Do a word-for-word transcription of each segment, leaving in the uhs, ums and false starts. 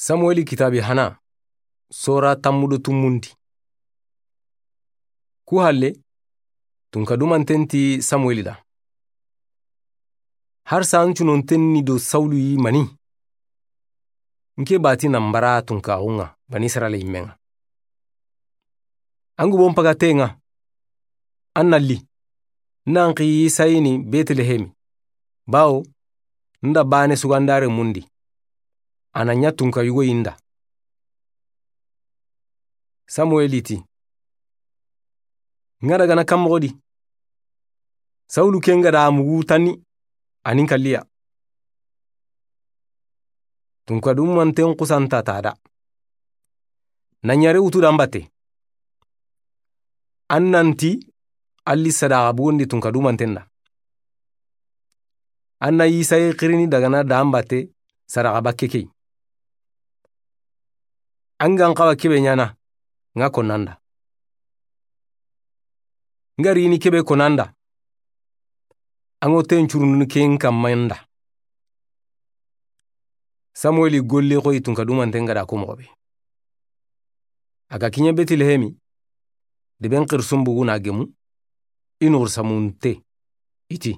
Samuweli kitaabi hana, sora tammu do tumundi. Ku halle, tunka dumanten ti Samuweli da: Harisa an cunonten ni do Sawulu yi mani? N ke bati na n bara tunkaxun ŋa Banisirayila yinmen ŋa. An gubon paga ten ŋa, an na li, n na n xi Yisai ni Betilehemi, bawo n da baane sugandi a renmun di, a na ɲa tunka yugo yi n da. Samuweli ti: N ga daga na kan moxo di? Sawulu ken ga da mugu tanni, a ni n kalliya. Tunka dumanten xusanta ta da. Na ɲare wutu da n batte. An na n ti a li sadaxa bugondi tunka dumanten da. An na Yisai xirini daga na da n batte sadaxa bakke ke yi. An ga n xawa kebe ɲaana, n ga konnanda. N ga rini kebe konnanda, an ŋo ten curundunu ken kamma n da. Samuweli golle xoyi tunka dumanten ga da ko moxo be. A ga kiɲe Betilehemi, deben xirisun bugu na gemu, i nuxur samunte, i ti: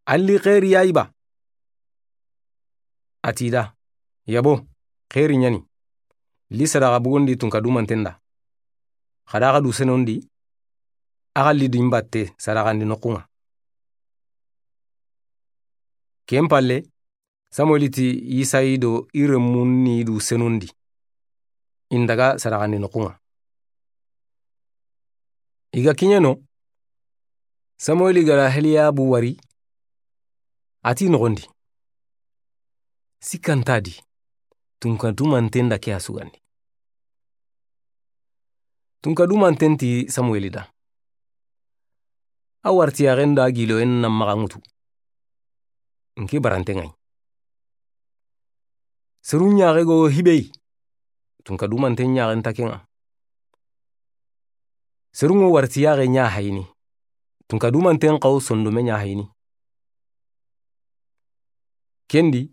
A li xeeri ya yi ba? A ti da: Yabo, xeeri ɲa ni. Li sadaxa bugondi tunka dumanten da. Xa da xa du senondi, a xa li di n batte sadaxandi noxun ŋa. Ken palle, Samuweli ti Yisai do i renmun ni du senondi, i n daga sadaxandi noxun ŋa. I ga kiɲe no, Samuweli ga da Heliyabu wari, a ti noxon di: Sikka nta di, tunka dumanten da ke ya sugandi. Tunka dumanten ti Samuweli da: A wartiyaxen da giloyen na maxa ŋutu. N ke baranten ŋa yi. Serun ɲaxe go hibe yi, tunka dumanten ɲaxen ta ken ŋa. Serun ŋo wartiyaxe ɲa hayini, tunka dumanten xawo sondome ɲa hayini. Ken di,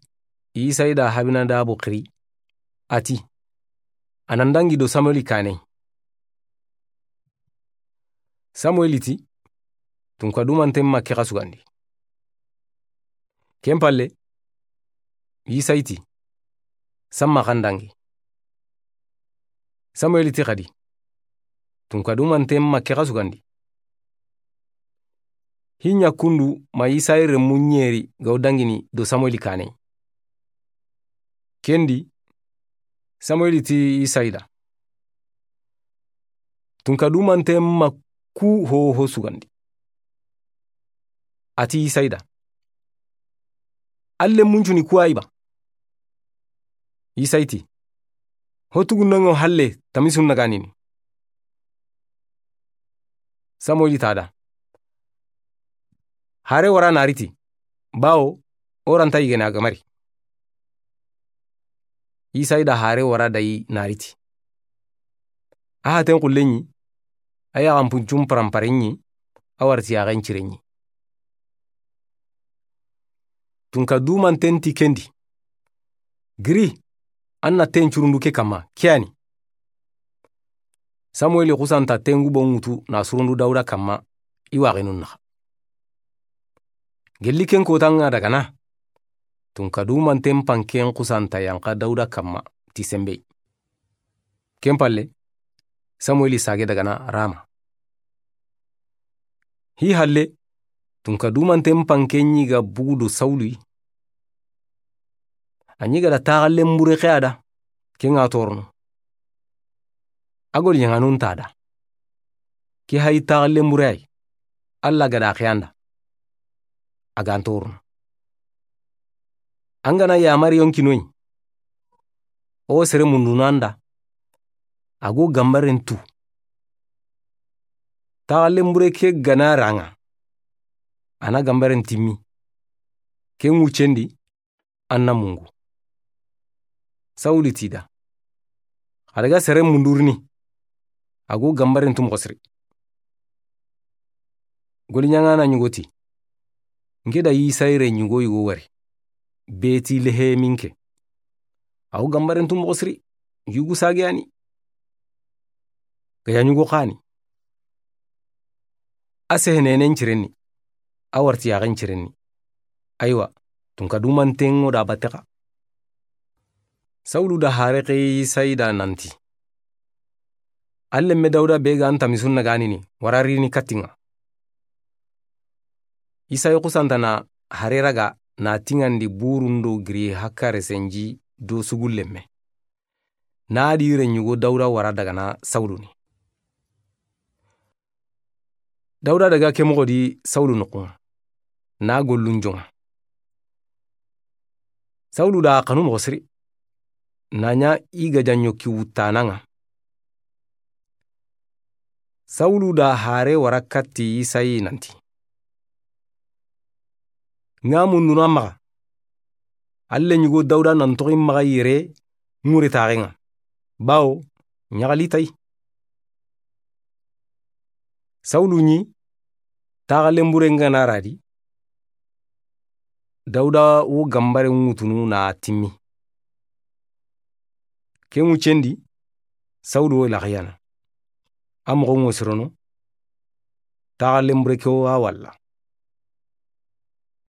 Yisai da Abinadabu xiri, a ti: A na n dangi do Samuweli kaane. Samuweli ti: Tunka dumanten ma ke xa sugandi. Ken palle, Yisai ti: Samma xa n dangi. Samuweli ti xadi: Tunka dumanten ma ke xa sugandi. Hi ɲa kundu ma Yisai renmu ɲeri ga wo dangini do Samuweli kaane. Ken di, Samuweli ti Yisai da: Tunka dumanten ma ku hoho sugandi. A ti Yisai da: Alle muncuni ku wa yi ba? Yisai ti: Ho tugundo ŋo halle tamisun na ganini. Samuweli ta da: Hare wara na riti, bawo o ra nta yigene a ga mari. Yisai da hare wara dayi na riti. A haten xulle ɲi, a yaxanpuncun paranpare ɲi, a wartiyaxen cire ɲi. Tunka dumanten ti ken di: Giri, an na ten curundu ke kamma, ke ya ni. Samuweli xusanta tengu bon ŋutu na surundu Dawuda kamma, i waxinun naxa. Gelli ken kotan ŋa daga na, tunka dumanten panken xusanta yanxa Dawuda kamma ti senbey. Ken palle, Samuweli sage daga na Rama. Hi halle, tunka dumanten panken ɲi ga bugu do Sawulu yi. A ɲi ga da taxallen bure xe a da, ken ŋa torono. A goli ɲaŋanun ta da. Ke hayi taxallen bure ay, Alla ga da xe an da, a ga n torono. An ga na yamari yonkinoyi, o sere mundunu an da, a go gambaren tu. Taxallen bure ke ga na ra ŋa, a na gambaren timmi. Ken wucen di, an na mungu. Sawulu ti da: Xa daga sere mundurini, a go gambaren tu moxo siri. Goli ɲaŋana ɲugo ti: N ke da Yisai re ɲugo yugo wari, Betilehemi n ke. A wo ganbaren tu moxo siri, yugu sage ya ni. Ga ya ɲugo xa ni. A sehenenen ciren ni, a wartiyaxen ciren ni. Aywa, tunka dumanten ŋo da batte xa. Sawulu da hare ke Isayi da nanti: An lenme Dawuda be ga an tamisun naganini, wara rini kattinŋa. Isayi xusanta na hare raga na tiŋandi burun do giri hakare senji do sugu lenme. Na di renɲugo Dawuda wara daga na Sawulu ni. Dawuda daga ke moxo di Sawulu noxun ŋa, na gollun jonŋa. Sawulu da xanu moxo siri, na ɲa i ga janɲo ki wuttanan ŋa. Sawulu da hare wara katti Isayi nanti: Ŋa mundunu an maxa. An lenɲugo Dawuda nan toxi maxa yere ŋuretaxen ŋa, bawo ɲaxali tayi. Sawulu ɲi taxa lenburen ga na radi, Dawuda wo ganbaren ŋutunu na timmi. Ke ŋuccendi, Sawulu wo laxiyana. A moxo ŋo sirono, taxa lenbure ke wo a walla.